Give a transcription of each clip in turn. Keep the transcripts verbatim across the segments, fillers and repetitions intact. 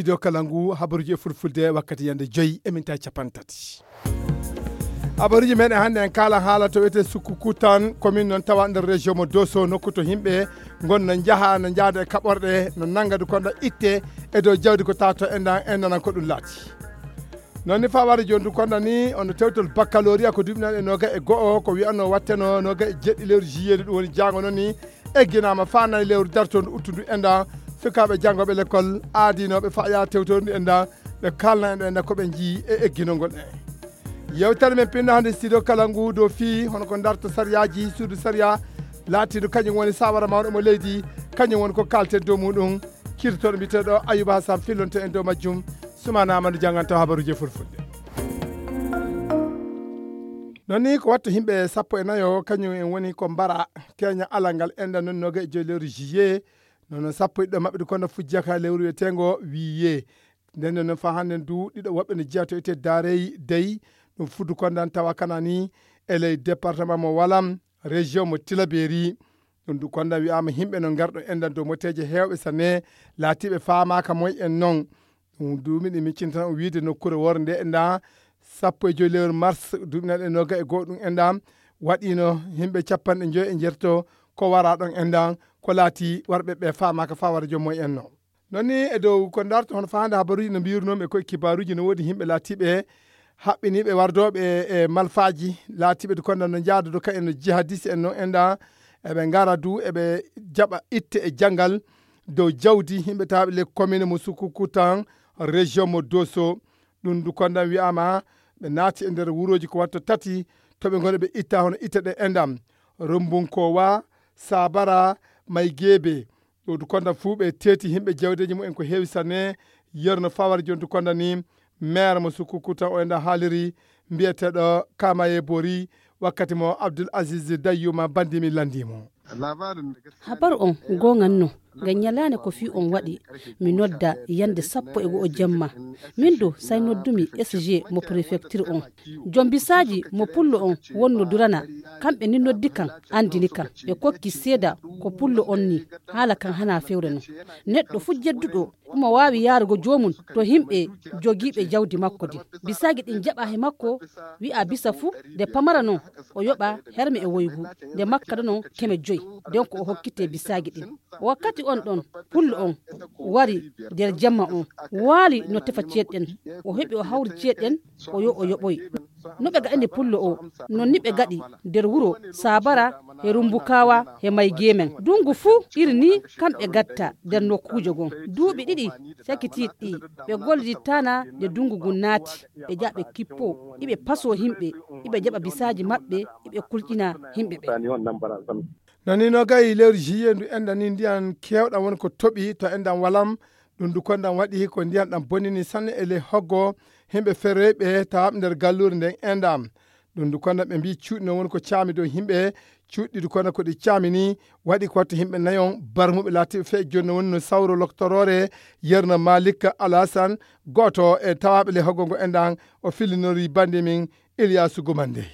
Studio Kalangu, habaruji e fulfulde wakkati yande joyi e minti capanɗe tati. Habaruji meɗen hannde en kaala haala to wiyetee Sukkukutan, commune noon tawa nder région mo Dosso, nokku to yimɓe ngon no njaha, no njaada e kaɓorɗe, no nannga du konda itte e dow jawdi ko tato enɗan, enɗan ko ɗum laati. Noon ni fawade jooni du konda ni, ono tewtol baccalauréat ko duuɓi nayi e noga e go'o, ko wiyanno watteno noga e jeɗɗi lewru juillet, ɗum woni jaango noon ni, egginaama faa nayi lewru dartondu uttundu enɗan, sukaaɓe janngooɓe lekkol aadinooɓe faa yaa tewtoru ndu enɗan, ɓe kaalna en ɗo enɗan ko ɓe njii e egginol ngol en. Yewtere men pinno hannde studio kala ngu dow fii hono ko darta sariyaaji suudu sariya laatiiɗo kañum woni saawara mawɗo mo leydi, kañum woni ko kaalten dow muuɗum. Kirtooɗo mbiyeteeɗo Ayuba Hassan fillonto en dow majjum. Sumana Amadou jannganto habaruuji e fulfulde. Noon ni ko watta yimɓe sappo e nayo, kañum en woni ko mbara keña alal ngal enɗan noon noga e joyi lewru juillet. Noon sappo e ɗiɗo maɓɓe du konda fujjaka lewru wiyeteengo wiye. Nden noon faa hannde du ɗiɗo woɓɓe no jeyaa to wiyetee Daarey Dey, ɗum fuddu kondan tawa kana ni e ley département mo Walam, région mo Tilaberi. Ɗum du kondan wiyaama yimɓe no ngarɗo enɗan dow moteeje heewɓe sanne, laatiiɓe faamaaka moy en noon. Ɗum du miɗen miccin tan o wiide nokkuure woore nde enɗan sappo e joyi lewru mars duuɓi nayi e noga e go'o ɗum enɗan waɗiino yimɓe capanɗe joyi e njeetato ko wara ɗon enɗan ko laati warɓe ɓe faamaaka faa wara joom moy en noon. Noon ni e dow ko darto hono faande habaruuji no mbiirunoo-mi ko e kibaaruuji no woodi yimɓe laatiiɓe haɓɓiniiɓe wardooɓe e malfaaji laatiiɓe du kondan no njaada du ka en no jihadiste en noon enɗan eɓe ngara du eɓe jaɓa itte e janngal dow jawdi yimɓe tawaaɓe ley commune mo Sukukutan, région mo Dosso. Ɗum du kondan wiyaama ɓe naati e nder wurooji ko watta tati to ɓe ngoni ɓe itta hono itte ɗe enɗan Rumbunkowa, Sabara, Maygeebe. Ɗo du kondan fuu ɓe teeti yimɓe jawdeeji mumen ko heewi sanne. Yerno fawar jooni du kondan ni maire mo Sukukutan o enɗan haaliri mbiyeteeɗo Kamaye Bori wakkati mo Abdul Aziz Dayyuma banndi mi lanndii mo. Habaru on goonganno. Ngam ñalaande ko fii on waɗi, mi nodda yande sappo e go'o jemma. Min du, say noddumi S G mo préfecture on. Joom bisaaji mo pullo on wonno durana, kamɓe ni noddi kan, anndini kan. Ɓe kokki seeda ko pullo on ni, haala kan hana fewre non. Neɗɗo fuu jedduɗo, omo waawi yaarugo joomum to yimɓe jogiiɓe jawdi makko din. Bisaagi ɗin jaɓa he makko, wi'a bisa fuu, nde pamara non, o yoɓa herme e woygu, nde makka non keme joyi, nden ko o hokkitee bisaagi ɗin. Wakkati on ɗon, pullo on wari nder jemma on, waali no tefa ceeɗɗen. O heɓi o hawri ceeɗɗen, o yo o yoɓoy. No ɓe gaɗani pullo o, non ni ɓe gaɗi nder wuro Sabara, he Rumbukawa, he Maygemen. Dungu fuu iri ni kamɓe gatta nder nokkuuje gon. Duuɓi ɗiɗi sakitiiɗi ɗi, ɓe gollidittaana nde dungu ngun naati. Ɓe jaɓa ɓe kippo, iɓe pasoo himɓe, iɓe jaɓa bisaaji maɓɓe, iɓe kulƴina himɓe ɓe. No ni nogayi lewru juillet ndu enɗan ni ndiyan keewɗan woni ko toɓi to enɗan walam. Ɗum du kondan waɗi ko ndiyan ɗan bonnini sanne e ley hoggo himɓe feroyɓe tawaaɓe nder galluure nden enɗan. Ɗum du kondan ɓe mbii cuuɗi no woni ko caami dow himɓe, cuuɗi du kondan ko ɗi caami ni waɗi ko watta himɓe nayon barmuɓe laatiiɓe fee jooni no woni no sawro loktoroore Yerno Malik Alasan, gooto e tawaaɓe ley hoggo ngo enɗan, o fillinori bannde min Ilyasu Gumande.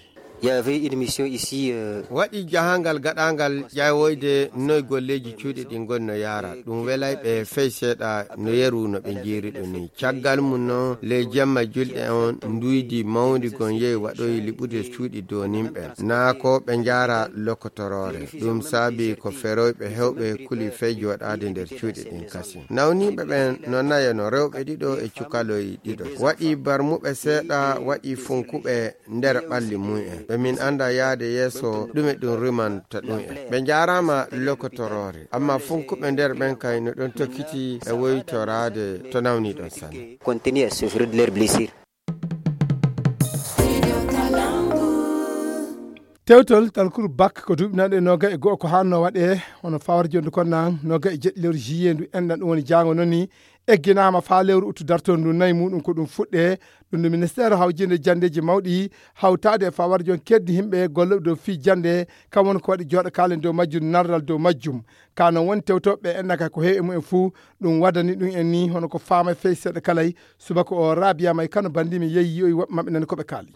Il y avait une mission ici, euh, Waɗi jahangal gaɗangal ƴawoyde noy golleeji cuuɗi ɗin ngoni no yaara. Ɗum welay ɓe fey seeɗa no yeru no ɓe njiiri ɗum ni. Caggal mum noon, ley jemma julɗe on, nduydi mawndi gon yehi waɗoyi liɓude cuuɗi doninɓe. Naa ko ɓe njaara lokotoroore. Ɗum saabi ko feroyɓe hewɓe kuli fey jooɗaade nder cuuɗi ɗin kasin. Nawniiɓe ɓen no nayo no rewɓe ɗiɗo e cukaloy ɗiɗo. Waɗi barmuɓe seeɗa, waɗi funkuɓe nder ɓalli mum en. Ɓe min annda yaade yeeso ɗume ɗum rimanta ɗum en. Ɓe njaaraama lokotoroore, amma funkuɓe nder ɓen kay no ɗon tokkiti e woytoraade to nawni ɗon sanne. Continuer à souffrir de leurs blessures. Tewtol talkuru bak ko duuɓi nanɗe noga e go'o ko hanno waɗe hono fawar jondu kon nan noga e jeɗɗi lewru juillet ndu enɗan ɗum woni jaango noon ni egginaama faa lewru uttu dartoondu nayi muuɗum ko ɗum fuɗɗee. Ɗum no ministeer hawjinde janndeeji mawɗi hawtaade e fawar jon keddi yimɓe gollooɓe dow fii jannde kam woni ko waɗi jooɗo kaalen dow majjum nardal dow majjum. Ka noon woni tewtooɓe enɗan kay ko heewi e mumen fuu ɗum waddani ɗum en ni hono ko faama fey seeɗa kalay. Subaka o Rabia May Kano banndi mi yeeyi yi'oyi woɓɓe maɓɓe nani ko ɓe kaali.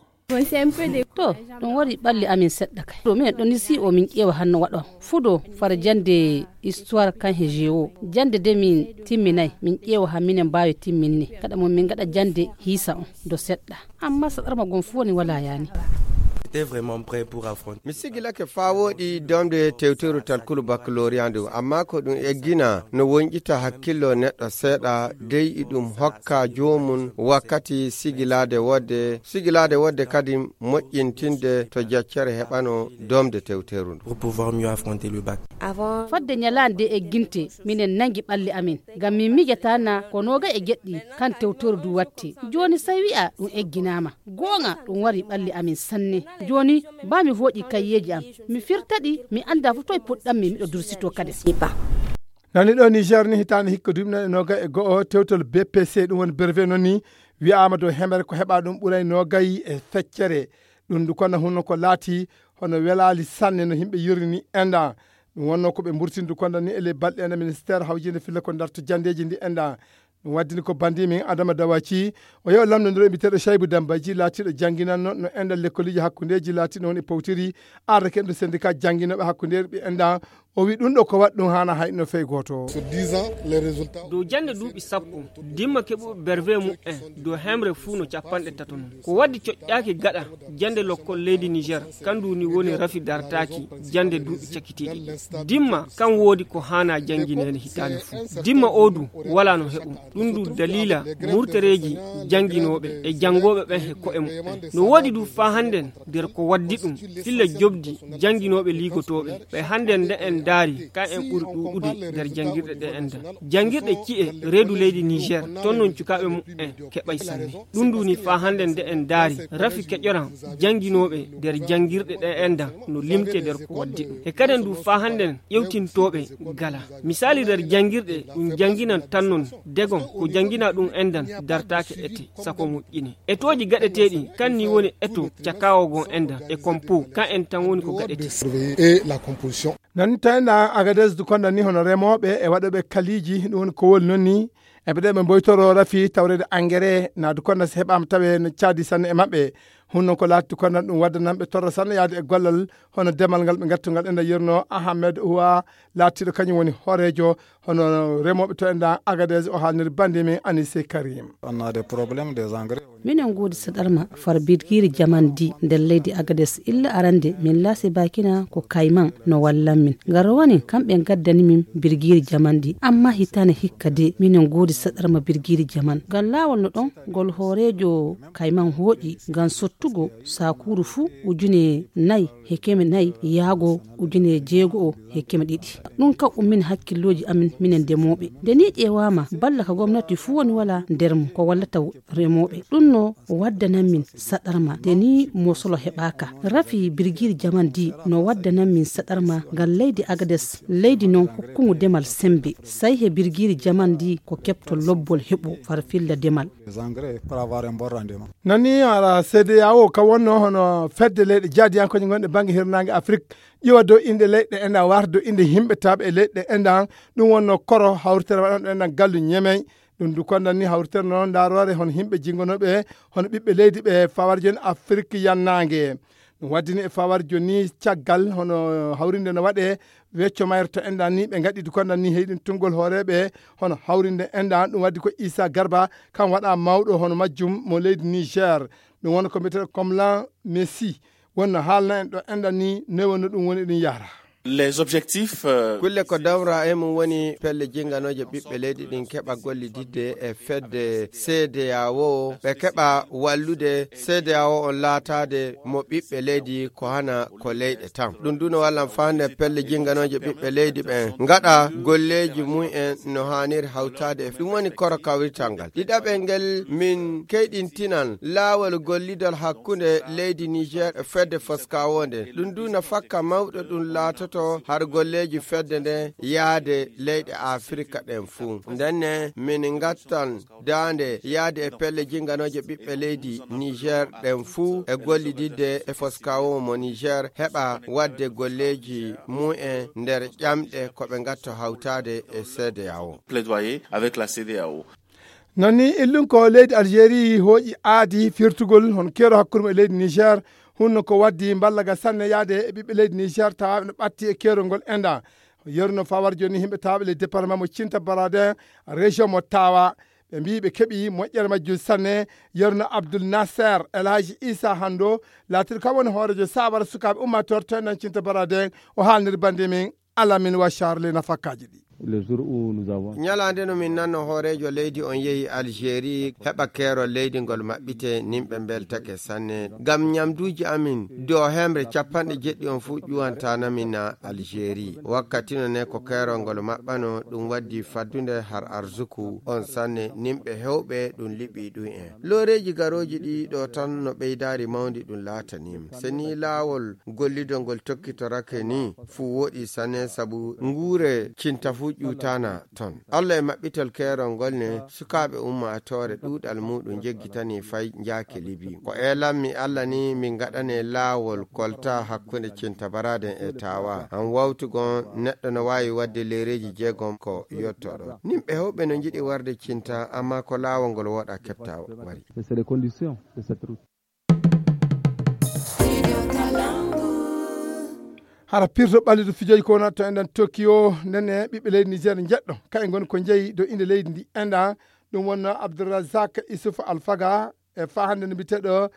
To, ɗum waɗi ɓalli amin seɗɗa kay. To, minen ɗon isi o min ƴeewa hanno waɗo. Fudo fara jande histoire kan he géo. Jande de min timminay, min ƴeewa ha minen mbaawi timminne. Kaɗa mo min ngaɗa jande hiisa on, do seɗɗa. Amma saɗarma gon fu woni wala yani. J'étais vraiment prêt pour affronter. Mi sigilake faa wooɗi domde tewteru tan kulu baccalauréat ndu, amma ko ɗum eggina no wonƴita hakkillo neɗɗo seeɗa, dey iɗum hokka joomum wakkati sigilaade wodde, sigilaade wodde kadi moƴƴintinde to jaccere heɓano domde tewteru ndu. Pour pouvoir mieux affronter le bac. Fodde ñalaande egginte, minen nangi ɓalli amin, ngam min miijata na ko noogay e jeɗɗi kan tewteru ndu watti. Jooni sey wi'a ɗum egginaama. Gooŋa ɗum wari ɓalli amin sanne. Jooni baa mi hooƴi kayyeeji am, mi firta ɗi, mi annda fu toy puɗɗammi, miɗo dursitoo kadi. Nani ɗo Niger ni, hitaande hikka duuɓi nayi e noogay e go'o, tewtol B P C, ɗum woni brevet noon ni, wi'aama dow hemere ko heɓa ɗum ɓuray noogay e feccere. Ɗum ndu konna hunno ko laati hono welaali sanne no yimɓe yurri ni enda. Ɗum wonno ko ɓe mburtini ndu konda ni e ley balɗe enda ministère hawjinde filla ko darto jandeeji ndi enda. Ɗum waddini ko bandi min Adama Dawaci, o yewa lamndondiro e mbiteeɗo Shaybu Dambaji, laatiiɗo jannginanno no enda lekkoliji hakkundeeji laatiiɗo woni e powtiri, ardake ɗum syndicat jannginooɓe hakkundeeji ɓe enda. O wi ɗum ɗo ko waɗi ɗum haana hay no fey gooto. Sur dix ans, les résultats. Dow jannde duuɓi sappo, dimma keɓuɓe brevet mu'en dow hemre fuu no capanɗe tato non. Ko waddi coƴƴaaki gaɗa jannde lokkol leydi Niger, kandu ni woni rafi dartaaki jannde duuɓi cakitiiɗi. Dimma kan woodi ko haana janngineede hitaande fuu. Dimma o du wala no heɓum. Ɗum du daliila murtereeji jannginooɓe e janngooɓe ɓen he ko'e muɓɓen. No woodi du faa hannden nder ko waddi ɗum, filla jobdi jannginooɓe liigotooɓe ɓe hannden nde en ndaari, ka en ɓuri ɗuuɗude nder janngirɗe ɗe enda. Janngirɗe ci'e reedu leydi Niger, ton non cukaaɓe muɓɓen keɓay sanne. Ɗum du ni faa hannden nde en ndaari, rafi keƴoran jannginooɓe nder janngirɗe ɗe enda no limte nder ko waddi ɗum. E kaden du faa hannden ƴewtintooɓe gala. Misaali nder janngirɗe ɗum jannginan tan non degon ko janngina ɗum endan dartaake ete sako moƴƴine. Etooji gaɗeteeɗi kan ni woni eto cakaawo gon endan e kompo kan en tan woni ko gaɗete. Et la composition. Nan ni tawi na Agadez du konda ni hono remooɓe e waɗooɓe kaliiji, ɗum woni ko woni noon ni. E ɓe ɗe ɓe mboytoro rafi tawreede engrais na du konda si heɓaama tawe no caadi sanne e maɓɓe. Hunno ko laati du konda ɗum wadda nan ɓe torra sanne yaade e gollal hono demal ngal ɓe ngattungal enda yerno Ahmed Uwa laatiiɗo kañum woni hooreejo hono remooɓe to enda Agadez o haalniri bande men Anise Karim. On a des problèmes des engrais. Minen ngoodi saɗarma far birgiiri jamandi nder leydi Agades. Illa arande min laasi bakina ko kayman no wallan min. Ngarowani kamɓe ngaddani min birgiiri jamandi. Amma hitaane hikka de minen ngoodi saɗarma birgiiri jaman. Ngal laawol no ɗon ngol hooreejo kayman hooƴi ngam sottugo sakuuru fuu ujune nayi he keme nayi yaago ujune jeego'o he keme ɗiɗi. Ɗum ka ummini hakkillooji amin minen ndemooɓe. Nde nii ƴeewaama balla ka gomnati fuu woni walaa nder mum ko wallata remooɓe. Ɗum no waddanan min saɗarma nde nii mosolo heɓaaka. Rafi birgiiri jamandi no waddanan min saɗarma ngam leydi Agades, leydi noon hokkungu demal semmbe. Say he birgiiri jamandi ko keɓto lobbol heɓo farfilla demal. Nani ara C D A O ka wonno hono fedde leyɗe jaadiyankooje gonɗe bannge hirnaange Afrik, ƴiwa dow inɗe leyɗe enɗan warta dow inɗe yimɓe taaɓe e leyɗe enɗan. Ɗum wonno koro hawritere waɗanɗo enɗan gallu ñemey. Ɗum du kondan ni hawritere noon ndaroore hono yimɓe jingonooɓe hono ɓiɓɓe leydi ɓe fawar jooni Afrik yannaange. Ɗum waddini e fawar jooni caggal hono hawrinde no waɗe wecco mayre to enɗan ni ɓe ngaɗi du kondan ni heyɗin tunngol hooreeɓe hono hawrinde enɗan. Ɗum waddi ko Isa Garba kan waɗa mawɗo hono majjum mo leydi Niger. Ɗum woni ko mbiyeteeɗo Komlan Messi wonno haalna en ɗo enɗan ni newonno ɗum woni ɗum yahra. Les objectifs, euh, kulle ko dawra e mum woni pelle jinganooje ɓiɓɓe leydi ɗin keɓa gollididde e fedde C D A O, ɓe keɓa wallude C D A O on laataade mo ɓiɓɓe leydi ko hana ko leyɗe tan. Ɗum du no wallan faa nde pelle jinganooje ɓiɓɓe leydi ɓen ngaɗa golleeji mum en no haaniri hawtaade e ɗum woni koro kawrital ngal. Ɗiɗaɓel ngel min keyɗintinan laawol gollidal hakkunde leydi Niger e fedde Foskawo nden. Ɗum du no fakka mawɗo ɗum laatoto har golleeji fedde nden yaade leyɗe Afirka ɗen fuu. Ndenne min ngattan daande yaade e pelle jinganooje ɓiɓɓe leydi Niger ɗen fuu e gollididde e Foskawo mo Niger heɓa wadde golleeji mum en nder ƴamɗe ko ɓe ngatto hawtaade e C D A O. Plaidoyer avec la C D A O. Non ni, illun ko leydi Algérie hooƴi aadi firtugol hon keero hakkunde e leydi Niger, hunno ko waddi mballa ga sanne yaade e ɓiɓɓe leydi Niger tawa no ɓatti e keerol ngol enda. Yeruno fawar joni himɓe tawa le département mo Cinta Baraden, région mo Tawa. Ɓe mbi ɓe keɓi moƴƴere majjum sanne. Yeruno Abdul Nasser El Hadji Issa Hando, laatiɗo kam woni hoorejo sawara sukaaɓe ummator to enɗan Cinta Baraden, o haalniri bande min Alamin wa Charlie nafakkaji ɗi. Le jour où nous avons Ñalaande no min nanno hooreejo leydi on yehi Algérie heɓa keerol leydi ngol maɓɓite, nimɓe mbeltake sanne. Ngam ñamduuji amin, do hemre capanɗe jeɗɗi on fuu ƴuwantana min na Algérie. Wakkati no ne ko keerol ngol maɓɓano, ɗum waddi faddunde har arzuku on sanne, nimɓe hewɓe ɗum liɓi ɗum en. Looreeji garooji ɗi ɗo tan no ɓeydaari mawndi ɗum laataniima. Se ni laawol gollidol ngol tokkitorake ni, fuu woɗi sanne sabu nguure Cinta fuu ƴuwtana ton. Allah e maɓɓitol keerol ngol ne, sukaaɓe ummaatoore ɗuuɗal muuɗum jeggitani fay njaake Libi. Ko eelanmi Allah ni min ngaɗane laawol kolta hakkunde Cinta Baraden e Tawa. An wawtugon neɗɗo no waawi waɗde leereeji jeegom ko yottoɗo. Nimɓe hewɓe no njiɗi warde Cinta, amma ko laawol ngol woɗa keɓta wari. Et c'est les conditions de cette route. Hara pirto ɓalliɗo fijoji ko wonata to enɗan Tokyo, ndenne ɓiɓɓe leydi Niger njeɗɗo. Kaɓe ngoni ko jeyi dow inde leydi ndi enɗa. Ɗum wonno Abdourazak Issouf Alfaga e fa hannde no mbiyeteeɗo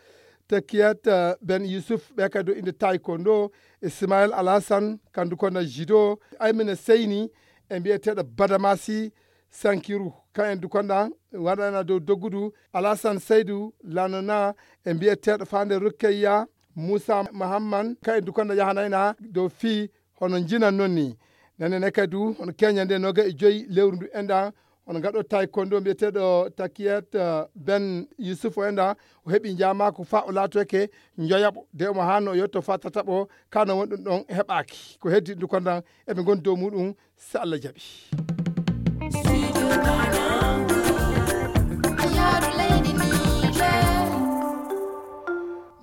Tekiyat, eh, Ben Youssouf, ɓe kadi dow inde taekwondo, Ismaël Alassane, kandu kono judo, Aymina Seyni, e mbiyeteeɗo Badamasi Sankiru. Ka en dukonda waɗana dow doggudu, Alassane Seydou Lanona, e mbiyeteeɗo Fande Rukkeya Moussa Mahamman, ka en dukonda yahanayna dow fii hono njinan non ni. Nane ne kadi du, hono keña nde noga e joyi lewru ndu enɗa, hono ngaɗo taekwondo mbiyeteeɗo Takiyat, eh, Ben Youssouf o enɗa, o heɓi njamaaku fa o laatoyke njoyaɓo. De omo hanno o yetto fa tataɓo, kano wonɗum ɗon heɓaaki. Ko heddi ndu kondan, eɓe ngoni dow muɗum, so Allah jaɓi.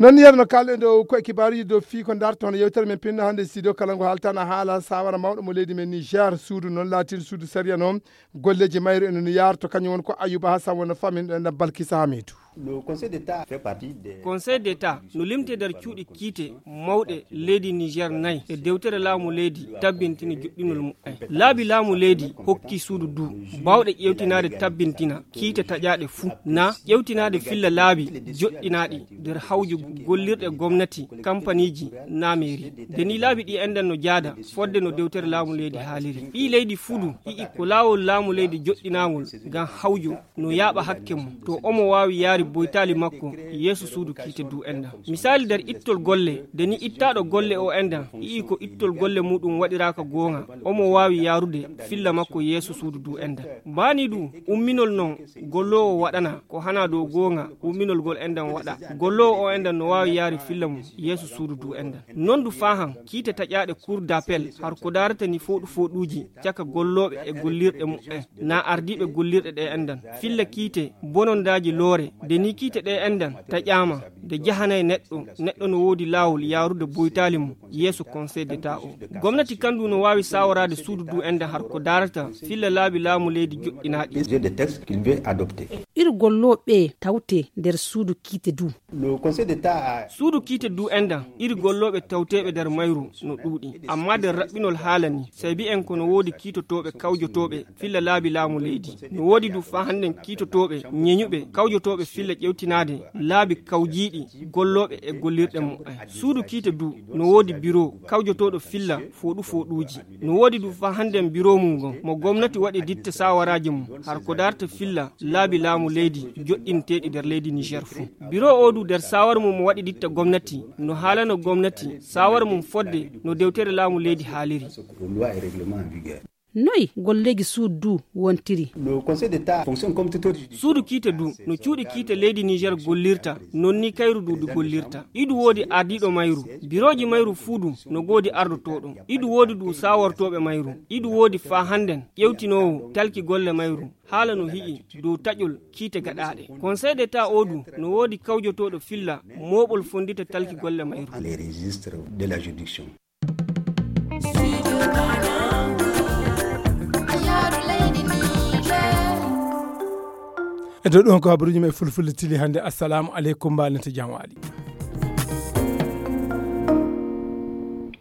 Non ni, yerno kalɗen dow koye kibaaruji dow fii ko darto hono yewtere men pinno hannde studio kala ngo haaltana haala sawara mawɗo mo leydi men Niger, suudu non laatin suudu sariya noon, golleji mayru ene no yaarto, kañum woni ko Ayuba Hassan wonno famin ɗo enɗan Balkisa Hamidu. Le Conseil d'État fait partie des Conseil d'État no limti nder cuuɗi kiite mawɗe leydi Niger nayi e dewtere laamu leydi tabbintini joɗɗinol muɓɓen. Laabi laamu leydi hokki suudu du bawɗe ƴewtinaade tabbintina kiite taƴaaɗe fuu, na ƴewtinaade filla laabi joɗɗinaaɗi nder hawju gollirɗe gomnati, kampaniiji, na meeri. Nde ni laabi ɗi enɗan no jaada fodde no dewtere laamu leydi haaliri. Ɓii leydi fuu du yi'i ko laawol laamu leydi joɗɗinaangol ngam hawju no yaaɓa hakke mum, to omo waawi yaari boytaali makko yeeso suudu kiite du enɗan. Misaali nder ittol golle, nde ni ittaaɗo golle o enɗan yi'i ko ittol golle muɗum waɗiraaka goonga, omo waawi yaarude filla makko yeeso suudu du enɗan. Baani du umminol non golloowo waɗana ko hana dow goonga, umminol gol enɗan waɗa. Golloowo o enɗan no waawi yaari filla mum yeeso suudu du enɗan. Non du faahan kiite taƴaaɗe Cour d'appel har ko daarata ni fooɗu fooɗuuji caka gollooɓe e gollirɗe muɓɓen, na ardiiɓe gollirɗe ɗe enɗan. Filla kiite bonondaaji loore, nde ni kiite ɗe enɗan taƴaama, nde jahanay neɗɗo, neɗɗo no woodi laawol yaarude boytaali mum yeeso Conseil d'État o. Gomnati kandu no waawi saawaraade suudu du enɗan har ko daarata filla laabi laamu leydi joɗɗinaaɗi. Des textes qu'il veut adopter. Iri gollooɓe tawte nder suudu kiite du. Le Conseil d'État a Suudu kiite du enɗan, iri gollooɓe tawteeɓe nder mayru no ɗuuɗi. Amma nder raɓɓinol haala ni, sey bi'en ko no woodi kiitotooɓe kawjotooɓe filla laabi laamu leydi. No woodi du faa hannden kiitotooɓe ñeñuɓe kawjotooɓe filla ƴewtinaade laabi kawjiiɗi gollooɓe e gollirɗe muɓɓen. Suudu kiite du no woodi biro kawjotooɗo filla fooɗu fooɗuuji. No woodi du faa hannden biro mum ngon mo gomnati waɗi ditta sawaraaji mum har ko daarta filla laabi laamu leydi joɗɗinteeɗi nder leydi Niger fuu. Biro o du nder sawar mum mo waɗi ditta gomnati no haalano gomnati sawar mum fodde no dewtere laamu leydi haaliri. Loi et règlement en vigueur. Noy golleeji suudu du wontiri? Le Conseil d'État fonctionne comme tout autre judiciaire. Suudu kiite du no cuuɗi kiite leydi Niger gollirta, non ni kayru du du gollirta. Idu woodi ardiiɗo mayru, birooji mayru fuu du no goodi ardotooɗo. Idu woodi du sawortooɓe mayru. Idu woodi faa hannden ƴewtinoowo talki golle mayru. Haala no hi'i dow taƴol kiite gaɗaaɗe. Conseil d'État o du no woodi kawjotooɗo filla mooɓol fonndita talki golle mayru. Les registres de la juridiction. E dow ɗon ko habaruji men fulfulde tili hannde. Assalamu aleykum, mbaalen to jam waali.